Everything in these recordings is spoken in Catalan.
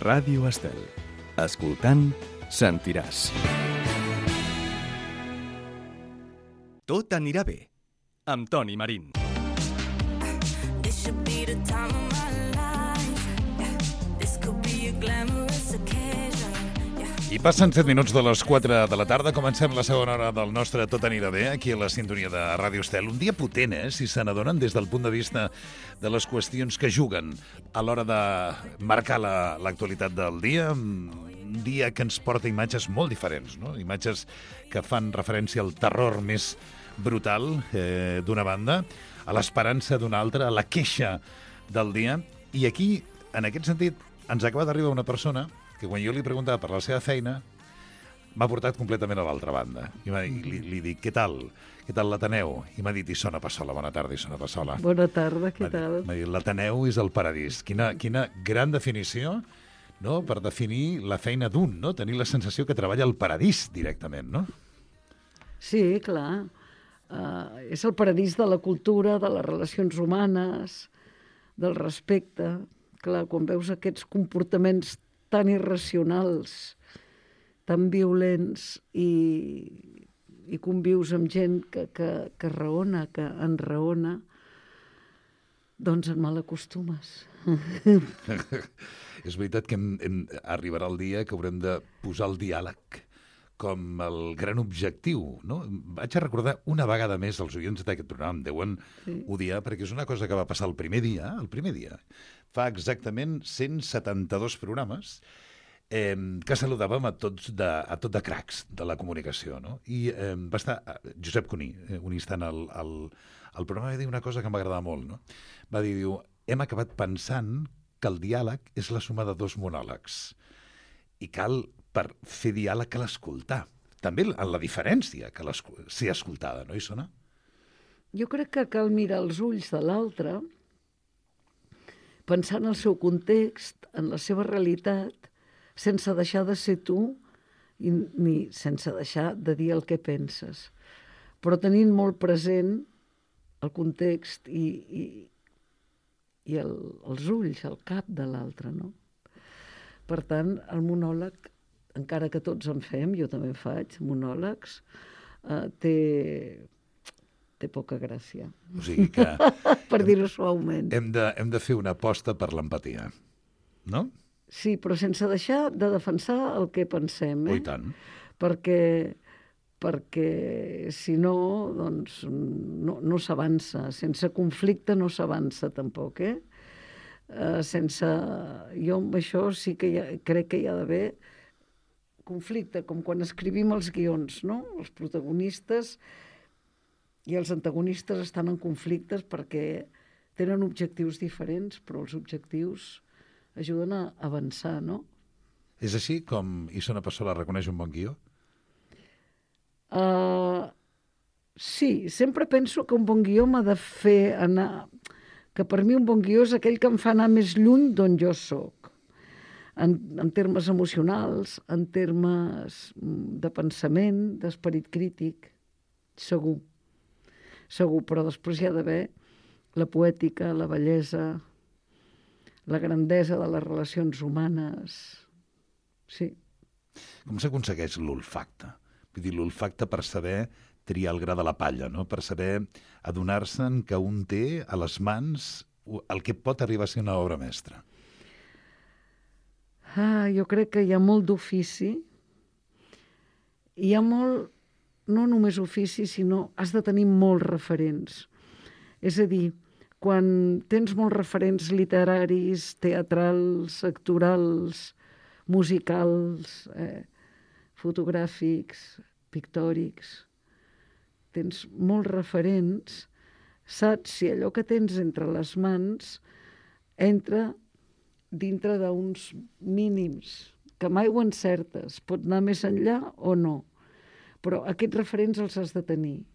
Ràdio Estel. Escoltant, sentiràs. Tot anirà bé, amb Toni Marín. I passen 7 minuts de les 4 de la tarda. Comencem la segona hora del nostre Tot anirà bé, aquí a la sintonia de Ràdio Estel. Un dia potent, si se n'adonen des del punt de vista de les qüestions que juguen a l'hora de marcar l'actualitat del dia. Un dia que ens porta imatges molt diferents, no? Imatges que fan referència al terror més brutal d'una banda, a l'esperança d'una altra, a la queixa del dia. I aquí, en aquest sentit, ens acaba d'arribar una persona que quan jo li preguntava per la seva feina m'ha portat completament a l'altra banda. I li dic, què tal? Què tal l'Ateneu? I m'ha dit, Isona Passola, bona tarda, Isona Passola. Bona tarda, què tal? M'ha dit, l'Ateneu és el paradís. Quina gran definició, no?, per definir la feina d'un, no? Tenir la sensació que treballa al paradís directament, no? Sí, clar. És el paradís de la cultura, de les relacions humanes, del respecte. Clar, quan veus aquests comportaments tan irracionals, tan violents i convius amb gent que raona, que enraona, doncs et malacostumes. És veritat que arribarà el dia que haurem de posar el diàleg com el gran objectiu, no? Vaig a recordar una vegada més als oients d'aquest programa, em deuen odiar, perquè és una cosa que va passar el primer dia, fa exactament 172 programes, que saludàvem a tot de cracs de la comunicació, no? I va estar Josep Cuní, un instant al programa, va dir una cosa que m'agradava molt, no? Va dir, hem acabat pensant que el diàleg és la suma de dos monòlegs i cal, per fer diàleg, cal escoltar. També en la diferència que ser escoltada, no, Isona? Jo crec que cal mirar els ulls de l'altre, pensar en el seu context, en la seva realitat, sense deixar de ser tu ni sense deixar de dir el que penses, però tenint molt present el context i els ulls, el cap de l'altre, no? Per tant, el monòleg, encara que tots en fem, jo també en faig, monòlegs, té poca gràcia. O sigui que per dir-ho suaument. Hem de fer una aposta per l'empatia, no? Sí, però sense deixar de defensar el que pensem, Oh, i tant. Perquè si no, doncs, no s'avança. Sense conflicte no s'avança tampoc, Jo amb això sí que crec que hi ha d'haver conflicte, com quan escrivim els guions, no? Els protagonistes i els antagonistes estan en conflictes perquè tenen objectius diferents, però els objectius ajuden a avançar, no? És així com Isona Passola reconeix un bon guió? Sí, sempre penso que un bon guió m'ha de fer anar... que per mi un bon guió és aquell que em fa anar més lluny d'on jo sóc, en termes emocionals, en termes de pensament, d'esperit crític, segur, però després hi ha d'haver la poètica, la bellesa, la grandesa de les relacions humanes, sí. Com s'aconsegueix l'olfacte? Vull dir, l'olfacte per saber triar el gra de la palla, no? Per saber adonar-se'n que un té a les mans el que pot arribar a ser una obra mestra. Jo crec que hi ha molt d'ofici. Hi ha molt, no només ofici, sinó has de tenir molts referents. És a dir, quan tens molts referents literaris, teatrals, actorals, musicals, fotogràfics, pictòrics, tens molts referents, saps si allò que tens entre les mans entra dintre d'uns mínims, que mai ho encertes, pot anar més enllà o no, però aquests referents els has de tenir.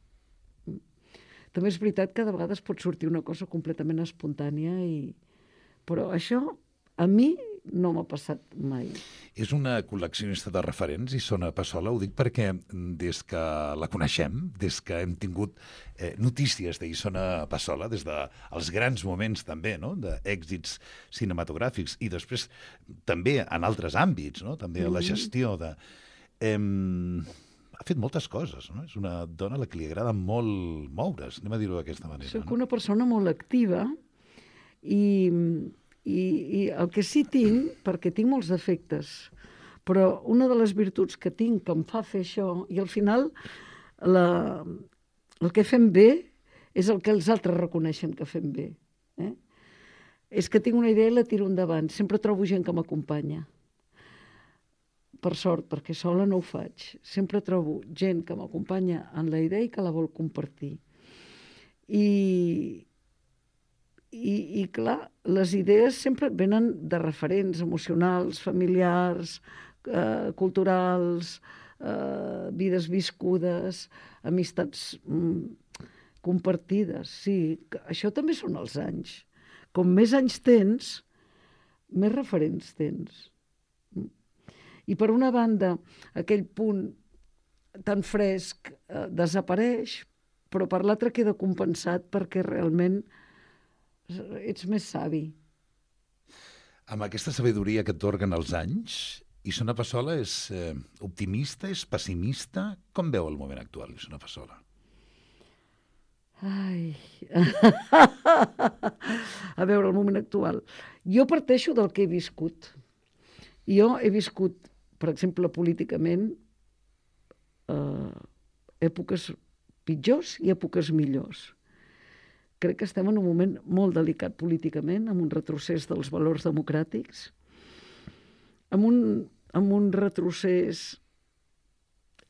També és veritat que de vegades pot sortir una cosa completament espontània, però això a mi no m'ha passat mai. És una col·leccionista de referents, Isona Passola, ho dic perquè des que la coneixem, des que hem tingut notícies d'Isona Passola, des dels grans moments també, no?, d'èxits cinematogràfics i després també en altres àmbits, no?, també a la gestió de... ha fet moltes coses, no? És una dona a la que li agrada molt moure's, anem a dir-ho d'aquesta manera. Soc una persona molt activa i el que sí tinc, perquè tinc molts defectes, però una de les virtuts que tinc que em fa fer això, i al final el que fem bé és el que els altres reconeixen que fem bé. És que tinc una idea i la tiro endavant. Sempre trobo gent que m'acompanya. Per sort, perquè sola no ho faig. Sempre trobo gent que m'acompanya en la idea i que la vol compartir. I clar, les idees sempre venen de referents emocionals, familiars, culturals, vides viscudes, amistats compartides. Sí, això també són els anys. Com més anys tens, més referents tens. I per una banda, aquell punt tan fresc desapareix, però per l'altra queda compensat perquè realment ets més savi. Amb aquesta sabidoria que atorguen els anys, Isona Passola és optimista, és pessimista? Com veu el moment actual, Isona Passola? Ai... A veure, el moment actual. Jo parteixo del que he viscut. Jo he viscut, per exemple, políticament, èpoques pitjors i èpoques millors. Crec que estem en un moment molt delicat políticament, amb un retrocés dels valors democràtics, amb un retrocés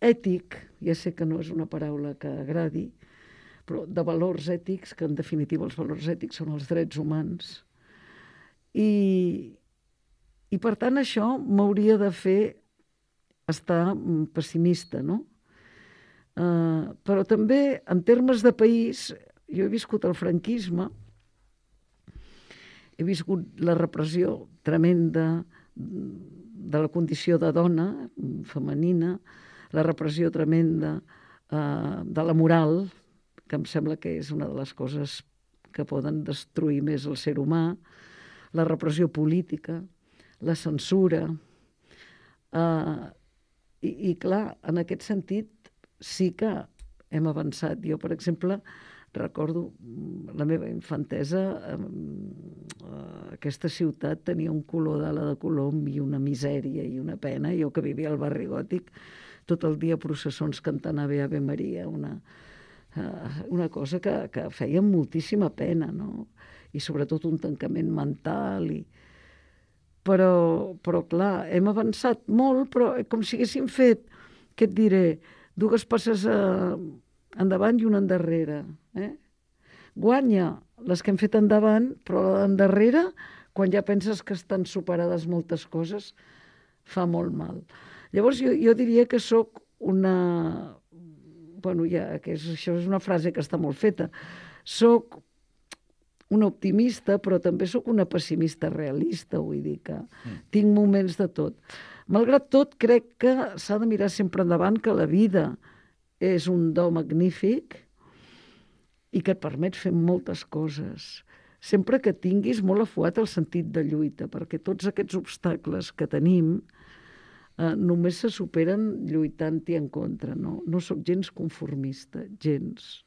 ètic, ja sé que no és una paraula que agradi, però de valors ètics, que en definitiva els valors ètics són els drets humans. I per tant això m'hauria de fer estar pessimista, no? Però també en termes de país, jo he viscut el franquisme, he viscut la repressió tremenda de la condició de dona femenina, la repressió tremenda de la moral, que em sembla que és una de les coses que poden destruir més el ser humà, la repressió política, la censura. I clar, en aquest sentit sí que hem avançat. Jo, per exemple, recordo la meva infantesa, aquesta ciutat tenia un color d'ala de colom i una misèria i una pena. Jo que vivia al barri gòtic, tot el dia processons cantant Ave, Ave Maria, una cosa que feia moltíssima pena, no? I sobretot un tancament mental. Però clar, hem avançat molt, però com si haguéssim fet, què et diré, 2 passes endavant i una endarrere. Guanya les que hem fet endavant, però endarrere, quan ja penses que estan superades moltes coses, fa molt mal. Llavors jo diria que sóc una... Bueno, això és una frase que està molt feta. Sóc una optimista, però també sóc una pessimista realista, vull dir que tinc moments de tot. Malgrat tot, crec que s'ha de mirar sempre endavant, que la vida és un do magnífic i que et permet fer moltes coses. Sempre que tinguis molt afuat el sentit de lluita, perquè tots aquests obstacles que tenim només se superen lluitant-hi en contra. No sóc gens conformista, gens.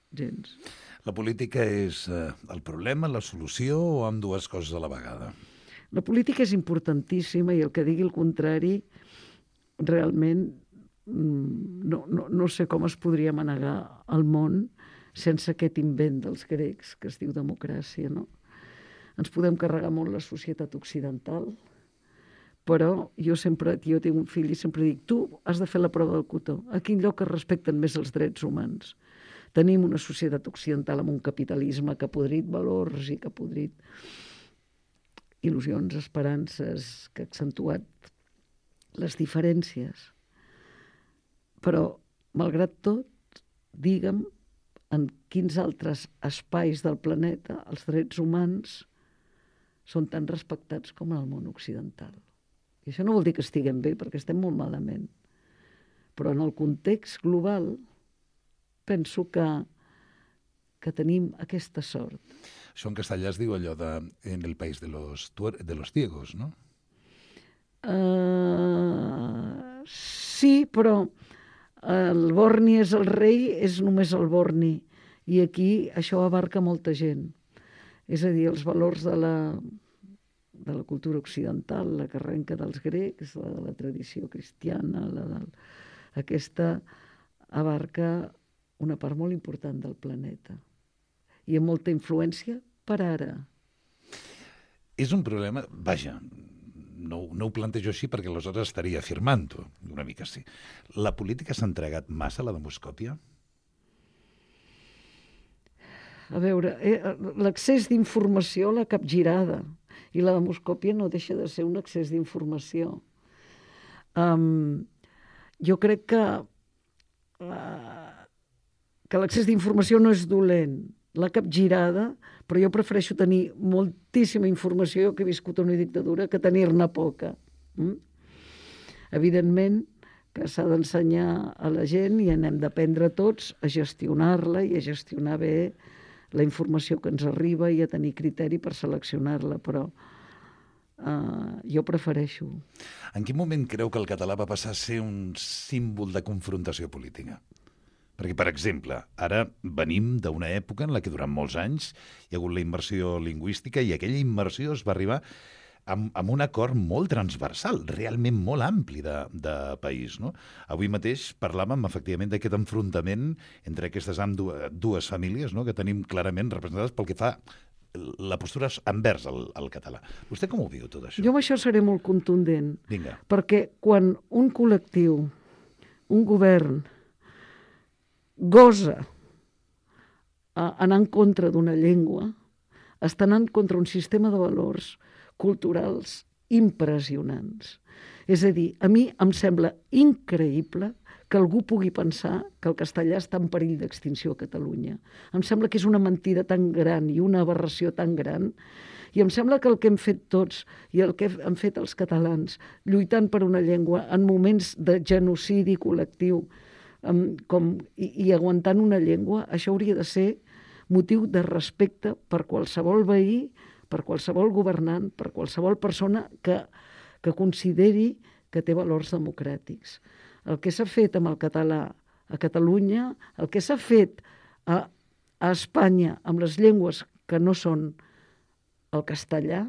La política és el problema, la solució o amb 2 coses a la vegada? La política és importantíssima i el que digui el contrari realment no sé com es podria manegar el món sense aquest invent dels grecs que es diu democràcia, no? Ens podem carregar molt la societat occidental, però jo tinc un fill i sempre dic, tu has de fer la prova del cotó. A quin lloc es respecten més els drets humans? Tenim una societat occidental amb un capitalisme que ha podrit valors i que ha podrit il·lusions, esperances, que ha accentuat les diferències. Però, malgrat tot, digue'm en quins altres espais del planeta els drets humans són tan respectats com en el món occidental. I això no vol dir que estiguem bé, perquè estem molt malament. Però en el context global penso que tenim aquesta sort. Això en castellà es diu allò de en el país de los ciegos, no? Sí, però el borni és el rei, és només el borni. I aquí això abarca molta gent. És a dir, els valors de la cultura occidental, la que arrenca dels grecs, la de la tradició cristiana, aquesta abarca una part molt important del planeta. I amb molta influència per ara. És un problema, vaja, no ho plantejo així perquè aleshores estaria afirmant-ho, una mica sí. La política s'ha entregat massa a la demoscòpia? A veure, l'accés d'informació l'ha capgirada i la demoscòpia no deixa de ser un excés d'informació. Jo crec que l'accés d'informació no és dolent, la capgirada, però jo prefereixo tenir moltíssima informació, que he viscut una dictadura, que tenir-ne poca. Evidentment que s'ha d'ensenyar a la gent i n'hem d'aprendre tots a gestionar-la i a gestionar bé la informació que ens arriba i a tenir criteri per seleccionar-la, però jo prefereixo. En quin moment creu que el català va passar a ser un símbol de confrontació política? Perquè, per exemple, ara venim d'una època en la que durant molts anys hi ha hagut la immersió lingüística i aquella immersió es va arribar amb un acord molt transversal, realment molt ampli de país, no? Avui mateix parlàvem, efectivament, d'aquest enfrontament entre aquestes dues famílies, no?, que tenim clarament representades pel que fa la postura envers el català. Vostè com ho viu, tot això? Jo amb això seré molt contundent. Vinga. Perquè quan un col·lectiu, un govern, gosa anar en contra d'una llengua, està anant contra un sistema de valors culturals impressionants. És a dir, a mi em sembla increïble que algú pugui pensar que el castellà està en perill d'extinció a Catalunya. Em sembla que és una mentida tan gran i una aberració tan gran, i em sembla que el que hem fet tots i el que han fet els catalans lluitant per una llengua en moments de genocidi col·lectiu i aguantant una llengua, això hauria de ser motiu de respecte per qualsevol veí, per qualsevol governant, per qualsevol persona que consideri que té valors democràtics. El que s'ha fet amb el català a Catalunya, el que s'ha fet a Espanya amb les llengües que no són el castellà,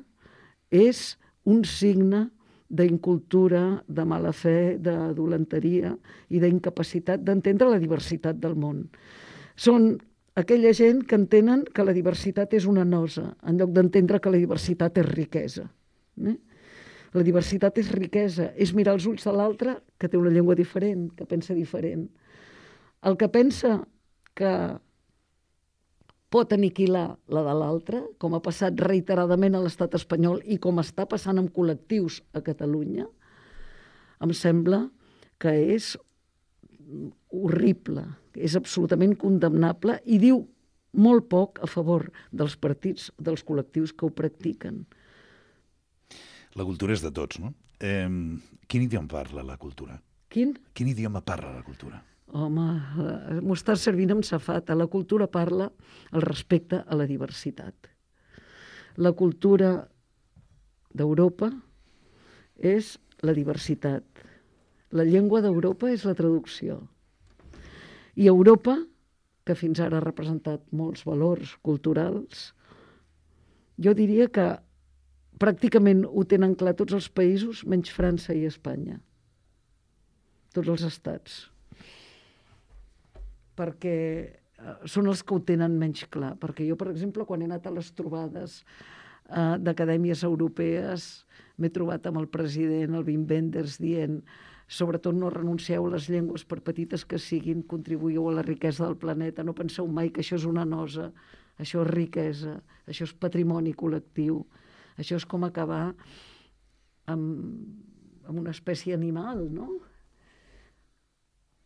és un signe d'incultura, de mala fe, de dolenteria i d'incapacitat d'entendre la diversitat del món. Són aquella gent que entenen que la diversitat és una nosa, en lloc d'entendre que la diversitat és riquesa. La diversitat és riquesa, és mirar els ulls de l'altre que té una llengua diferent, que pensa diferent. El que pensa que pot aniquilar la de l'altre, com ha passat reiteradament a l'estat espanyol i com està passant amb col·lectius a Catalunya, em sembla que és horrible, és absolutament condemnable i diu molt poc a favor dels partits, dels col·lectius que ho practiquen. La cultura és de tots, no? Quin idioma parla la cultura? Quin? Quin idioma parla la cultura? Home, m'ho estàs servint amb safata. La cultura parla el respecte a la diversitat. La cultura d'Europa és la diversitat. La llengua d'Europa és la traducció. I Europa, que fins ara ha representat molts valors culturals, jo diria que pràcticament ho tenen clar tots els països, menys França i Espanya. Tots els estats. Perquè són els que ho tenen menys clar. Perquè jo, per exemple, quan he anat a les trobades d'acadèmies europees, m'he trobat amb el president, el Wim Wenders, dient sobretot no renuncieu a les llengües per petites que siguin, contribuïu a la riquesa del planeta, no penseu mai que això és una nosa, això és riquesa, això és patrimoni col·lectiu, això és com acabar amb una espècie animal, no?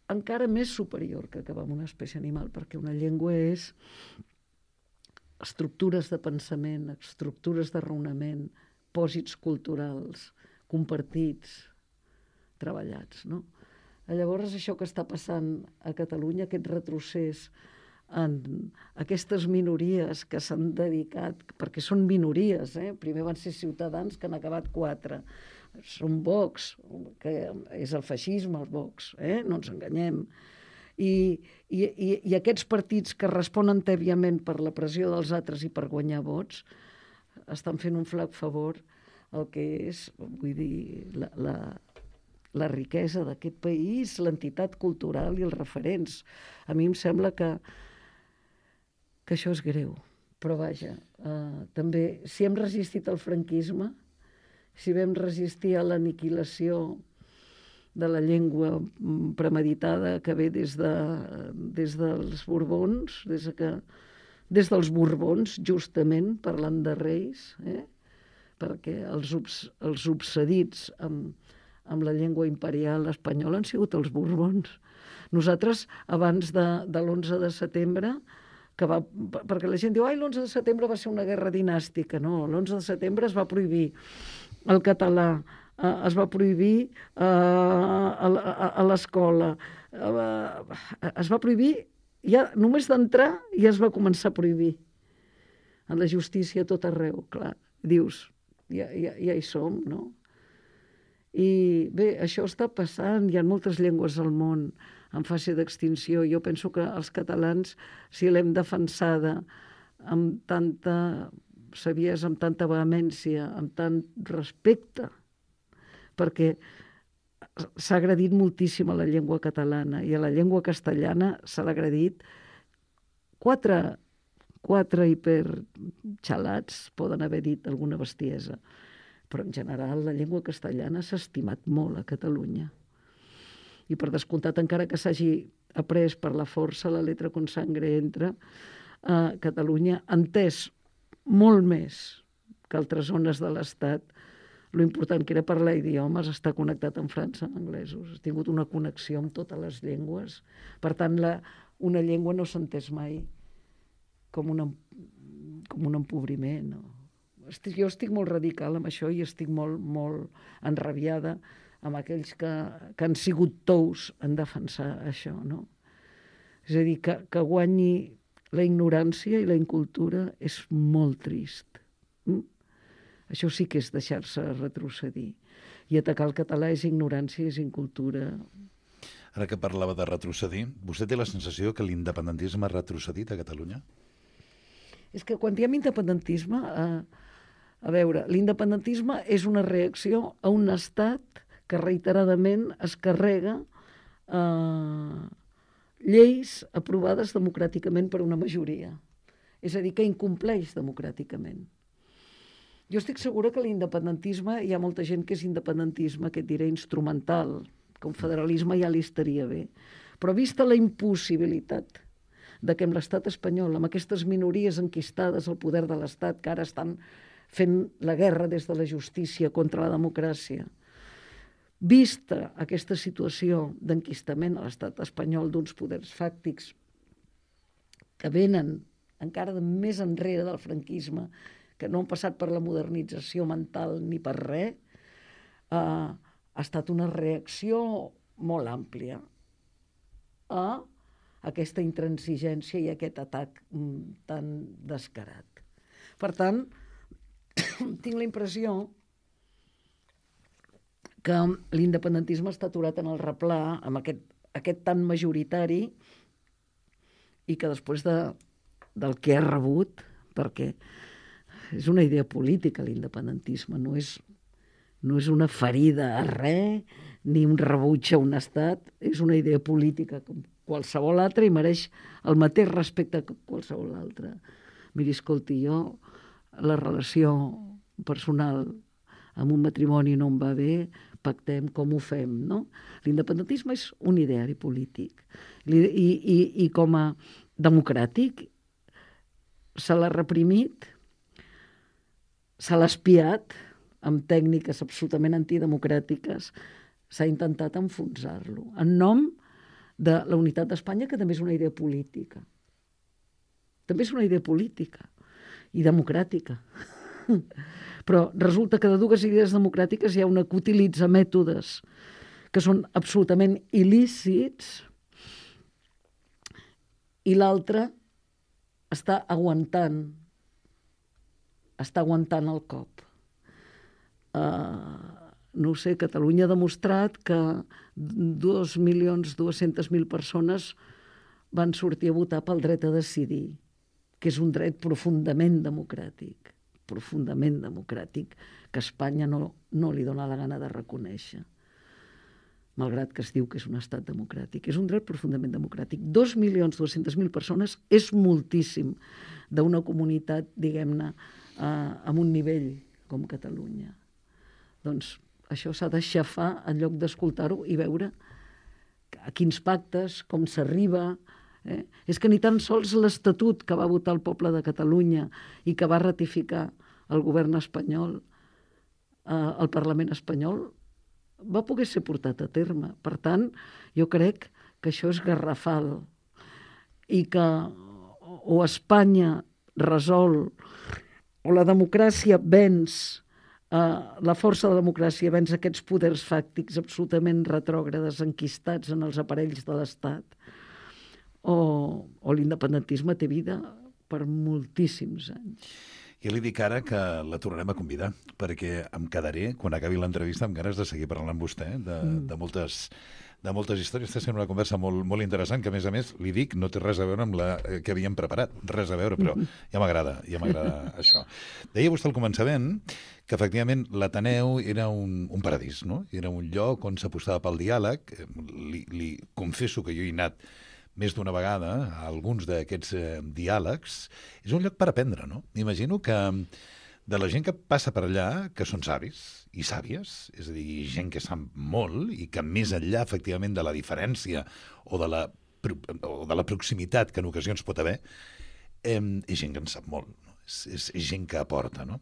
Encara més superior que acabar amb una espècie animal, perquè una llengua és estructures de pensament, estructures de raonament, pòsits culturals, compartits, treballats, no? Llavors, això que està passant a Catalunya, aquest retrocés en aquestes minories que s'han dedicat, perquè són minories, primer van ser Ciutadans, que han acabat 4, són Vox, que és el feixisme, el Vox, no ens enganyem, i aquests partits que responen tèbiament per la pressió dels altres i per guanyar vots estan fent un flac favor al que és, vull dir, la riquesa d'aquest país, l'entitat cultural i els referents. A mi em sembla que això és greu, però vaja, també si hem resistit al franquisme, si vam resistir a l'aniquilació de la llengua premeditada que ve des dels Borbons, des dels Borbons, justament, parlant de reis, perquè els obsedits amb la llengua imperial espanyola han sigut els Borbons. Nosaltres, abans de l'11 de setembre, perquè la gent diu l'11 de setembre va ser una guerra dinàstica. No, l'11 de setembre es va prohibir el català, es va prohibir a l'escola, es va prohibir, ja només d'entrar ja es va començar a prohibir. En la justícia tot arreu, clar. Dius, ja hi som, no? I bé, això està passant, hi ha moltes llengües al món en fase d'extinció. Jo penso que els catalans, si l'hem defensada amb tanta saviesa, amb tanta vehemència, amb tant respecte, perquè s'ha agredit moltíssim a la llengua catalana i a la llengua castellana s'ha agredit quatre hiperxalats poden haver dit alguna bestiesa, però en general la llengua castellana s'ha estimat molt a Catalunya. I per descomptat, encara que s'hagi après per la força la letra con sangre entra, Catalunya ha entès molt més que altres zones de l'Estat lo important que era parlar idiomes, estar connectat amb França, amb anglesos. Ha tingut una connexió amb totes les llengües. Per tant, una llengua no s'ha entès mai com un empobriment. No? Jo estic molt radical amb això i estic molt, molt enrabiada amb aquells que han sigut tous en defensar això. No? És a dir, que guanyi la ignorància i la incultura és molt trist. Això sí que és deixar-se retrocedir. I atacar el català és ignorància, és incultura. Ara que parlava de retrocedir, vostè té la sensació que l'independentisme ha retrocedit a Catalunya? És que quan diem independentisme, a veure, l'independentisme és una reacció a un estat que reiteradament es carrega lleis aprovades democràticament per una majoria. És a dir, que incompleix democràticament. Jo estic segura que l'independentisme, hi ha molta gent que és independentisme, que et diré instrumental, com federalisme ja li estaria bé. Però vista la impossibilitat de que amb l'estat espanyol, amb aquestes minories enquistades al poder de l'estat, que ara estan fent la guerra des de la justícia contra la democràcia, vista aquesta situació d'enquistament a l'estat espanyol d'uns poders fàctics que venen encara més enrere del franquisme, que no han passat per la modernització mental ni per res, ha estat una reacció molt àmplia a aquesta intransigència i aquest atac tan descarat. Per tant, tinc la impressió que l'independentisme està aturat en el replà, amb aquest tan majoritari, i que després del que ha rebut, perquè és una idea política l'independentisme, no és una ferida a res, ni un rebuig a un estat, és una idea política com qualsevol altra i mereix el mateix respecte que qualsevol altra. Miri, escolti, jo la relació personal amb un matrimoni no em va bé, pactem com ho fem, no? L'independentisme és un ideari polític i com a democràtic se l'ha reprimit, se l'ha espiat amb tècniques absolutament antidemocràtiques, s'ha intentat enfonsar-lo, en nom de la unitat d'Espanya, que també és una idea política. També és una idea política. i democràtica. Però resulta que de dues idees democràtiques hi ha una que utilitza mètodes que són absolutament il·lícits i l'altra està aguantant el cop. No ho sé, Catalunya ha demostrat que 2.200.000 persones van sortir a votar pel dret a decidir, que és un dret profundament democràtic, que Espanya no li dona la gana de reconèixer, malgrat que es diu que és un estat democràtic. És un dret profundament democràtic. 2.200.000 persones és moltíssim d'una comunitat, diguem-ne, amb un nivell com Catalunya. Doncs això s'ha d'aixafar en lloc d'escoltar-ho i veure a quins pactes, com s'arriba. És que ni tan sols l'Estatut que va votar el poble de Catalunya i que va ratificar el govern espanyol, el Parlament espanyol, va poder ser portat a terme. Per tant, jo crec que això és garrafal i que o Espanya resol o la democràcia venç, la força de la democràcia venç aquests poders fàctics absolutament retrògrades enquistats en els aparells de l'Estat, o l'independentisme té vida per moltíssims anys. Jo li dic ara que la tornarem a convidar, perquè em quedaré, quan acabi l'entrevista, amb ganes de seguir parlant amb vostè de moltes històries. Està sent una conversa molt, molt interessant, que a més, li dic, no té res a veure amb la que havíem preparat, res a veure, però ja m'agrada això. Deia vostè al començament que efectivament l'Ateneu era un paradís, no? Era un lloc on s'apostava pel diàleg. Li confesso que jo he anat més d'una vegada a alguns d'aquests diàlegs. És un lloc per aprendre, no? M'imagino que de la gent que passa per allà, que són savis i sàvies, és a dir, gent que sap molt i que més enllà, efectivament, de la diferència o de la proximitat que en ocasions pot haver, és gent que en sap molt, no? És gent que aporta, no?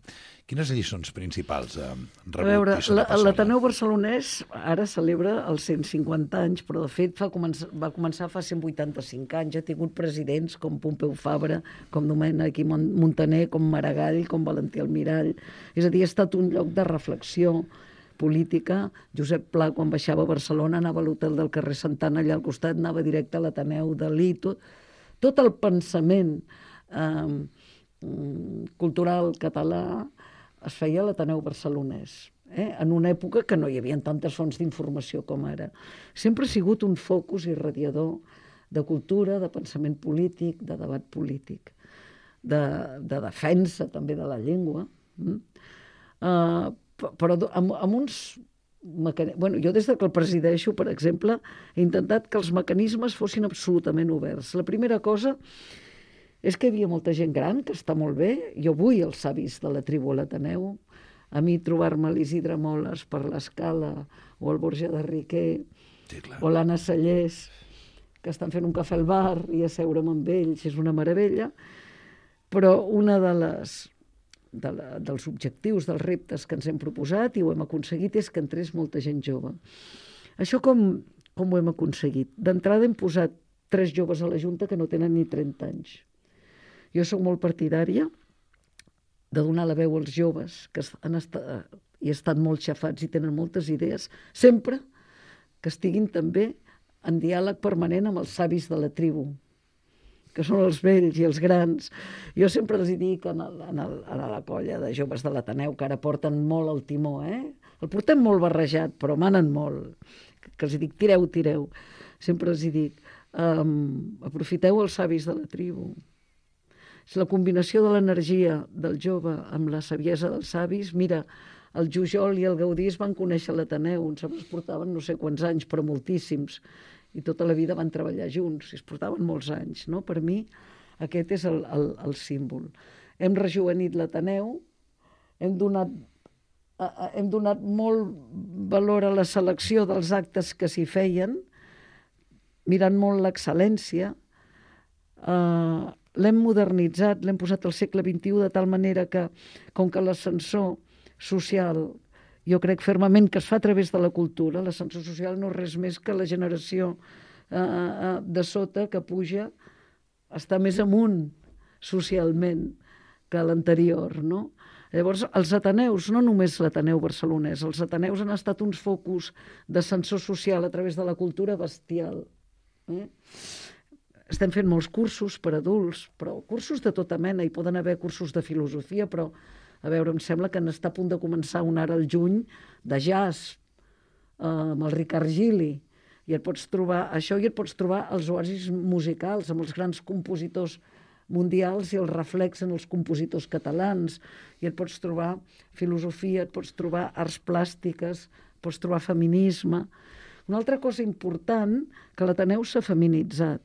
Quines lliçons principals rebut? A veure, l'Ateneu Barcelonès ara celebra els 150 anys, però de fet va començar fa 185 anys. Ha tingut presidents com Pompeu Fabra, com Domènec Montaner, com Maragall, com Valentí Almirall. És a dir, ha estat un lloc de reflexió política. Josep Pla, quan baixava a Barcelona, anava a l'hotel del carrer Santana, allà al costat, anava directe a l'Ateneu, Dalí, tot el pensament cultural català es feia a l'Ateneu Barcelonès, en una època que no hi havia tantes fonts d'informació com ara. Sempre ha sigut un focus irradiador de cultura, de pensament polític, de debat polític, de defensa també de la llengua, però amb uns... Bueno, jo des que el presideixo, per exemple, he intentat que els mecanismes fossin absolutament oberts. La primera cosa és que hi havia molta gent gran, que està molt bé. Jo vull els savis de la tribu a l'Ateneu. A mi trobar-me l'Isidre Moles per l'Escala o el Borja de Riquer, sí, o l'Anna Sallés, que estan fent un cafè al bar i asseure'm amb ells, és una meravella. Però una dels objectius, dels reptes que ens hem proposat, i ho hem aconseguit, és que entrés molta gent jove. Això com ho hem aconseguit? D'entrada hem posat 3 joves a la Junta que no tenen ni 30 anys. Jo soc molt partidària de donar la veu als joves que han estat molt xafats i tenen moltes idees, sempre que estiguin també en diàleg permanent amb els savis de la tribu, que són els vells i els grans. Jo sempre els dic a la colla de joves de l'Ateneu, que ara porten molt el timó, el portem molt barrejat, però manen molt, que els dic, tireu. Sempre els dic, aprofiteu els savis de la tribu. És la combinació de l'energia del jove amb la saviesa dels savis. Mira, el Jujol i el Gaudí es van conèixer a l'Ateneu, ens portaven no sé quants anys, però moltíssims, i tota la vida van treballar junts, i es portaven molts anys, no? Per mi aquest és el símbol. Hem rejovenit l'Ateneu, hem donat molt valor a la selecció dels actes que s'hi feien, mirant molt l'excel·lència, l'hem modernitzat, l'hem posat al segle XXI de tal manera que, com que l'ascensor social, jo crec fermament que es fa a través de la cultura, l'ascensor social no és res més que la generació de sota que puja, està més amunt socialment, que l'anterior, no? Llavors, els ateneus, no només l'Ateneu barcelonès, els ateneus han estat uns focus d'ascensor social a través de la cultura bestial. Estem fent molts cursos per adults, però cursos de tota mena, hi poden haver cursos de filosofia, però, a veure, em sembla que n'està a punt de començar un ara al juny de jazz, amb el Ricard Gili, i et pots trobar això i et pots trobar els oasis musicals amb els grans compositors mundials i el reflex en els compositors catalans, i et pots trobar filosofia, et pots trobar arts plàstiques, pots trobar feminisme. Una altra cosa important, que l'Ateneu s'ha feminitzat.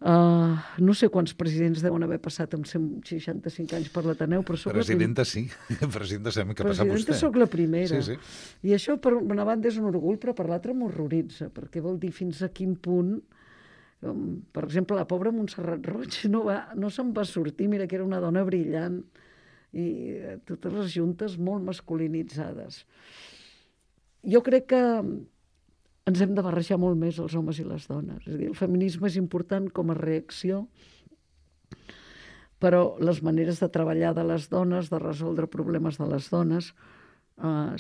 No sé quants presidents deuen haver passat amb 165 anys per l'Ateneu, però soc Presidenta sí, presidenta sembla que passa vostè. Presidenta soc la primera. Sí. I això, per una banda, és un orgull, però per l'altra m'horroritza, perquè vol dir fins a quin punt. Per exemple, la pobra Montserrat Roig no se'n va sortir, mira que era una dona brillant, i totes les juntes molt masculinitzades. Jo crec que ens hem de barrejar molt més els homes i les dones. És a dir, el feminisme és important com a reacció, però les maneres de treballar de les dones, de resoldre problemes de les dones,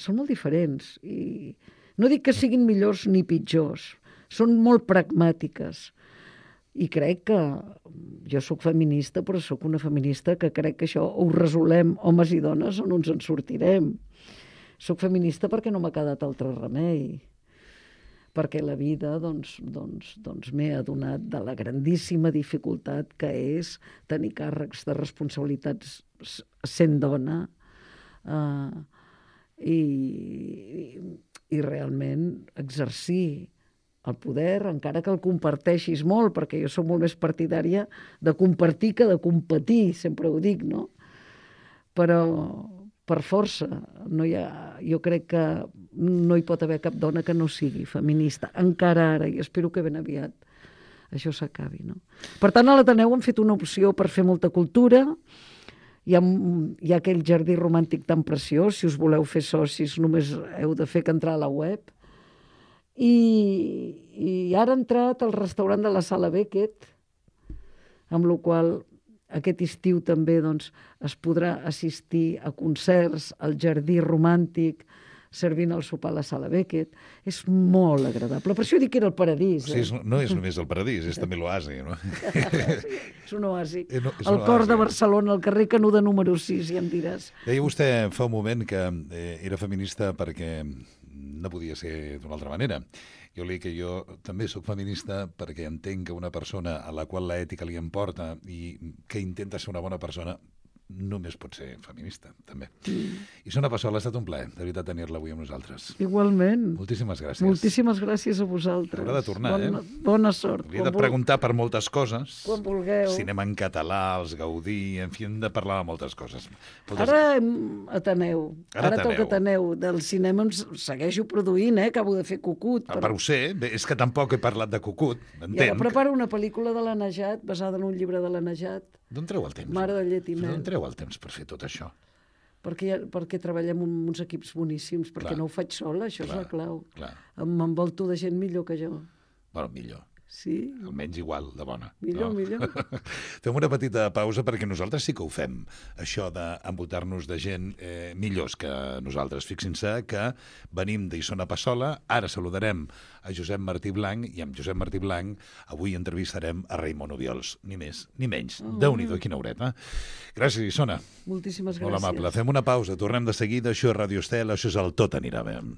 són molt diferents. I no dic que siguin millors ni pitjors, són molt pragmàtiques. I crec que jo sóc feminista, però sóc una feminista que crec que això ho resolem homes i dones o no ens en sortirem. Soc feminista perquè no m'ha quedat altre remei, perquè la vida m'he adonat de la grandíssima dificultat que és tenir càrrecs de responsabilitats sent dona i realment exercir el poder, encara que el comparteixis molt, perquè jo soc molt més partidària de compartir que de competir, sempre ho dic, no? Però per força, jo crec que no hi pot haver cap dona que no sigui feminista, encara ara, i espero que ben aviat això s'acabi, no? Per tant, a l'Ateneu hem fet una opció per fer molta cultura, hi ha aquell jardí romàntic tan preciós, si us voleu fer socis només heu de fer que entrar a la web, i ara ha entrat el restaurant de la Sala Beckett, amb la qual aquest estiu també es podrà assistir a concerts al jardí romàntic, servint el sopar a la Sala Beckett. És molt agradable. Per això dic que era el paradís. Sí, no és només el paradís, és també l'oasi, no? És un oasi. El cor de Barcelona, al carrer Canuda número 6, ja em diràs. Deia vostè fa un moment que era feminista perquè no podia ser d'una altra manera. Jo li dic que jo també sóc feminista perquè entenc que una persona a la qual l'ètica li importa i que intenta ser una bona persona només pot ser feminista, també. I Sona Passola, ha estat un plaer, de veritat, tenir-la avui amb nosaltres. Igualment. Moltíssimes gràcies. Moltíssimes gràcies a vosaltres. Haurà de tornar, Bona sort. Hauria de preguntar per moltes coses. Quan vulgueu. Cinema en català, els Gaudí, en fi, hem de parlar de moltes coses. Ara Ateneu. Ara toca Ateneu. Del cinema em segueixo produint, acabo de fer Cucut. Per ho sé, és que tampoc he parlat de Cucut, entenc. I ara preparo una pel·lícula de la Najat, basada en un llibre de la Najat. D'on treu el temps? Mare de llet i mel. D'on treu el temps per fer tot això? Perquè treballem amb uns equips boníssims, perquè no ho faig sola, això és la clau. M'envolto de gent millor que jo. Bueno, millor. Sí. Almenys igual de bona. Millor. Fem una petita pausa perquè nosaltres sí que ho fem, això d'envoltar-nos de gent millors que nosaltres. Fixin-se que venim d'Isona Passola, ara saludarem a Josep Martí Blanc, i amb Josep Martí Blanc avui entrevistarem a Raimon Obiols. Ni més ni menys. Déu-n'hi-do, quina horeta. Gràcies, Isona. Moltíssimes gràcies. Molt amable. Fem una pausa, tornem de seguida. Això és Radio Estel, això és el Tot anirà bé.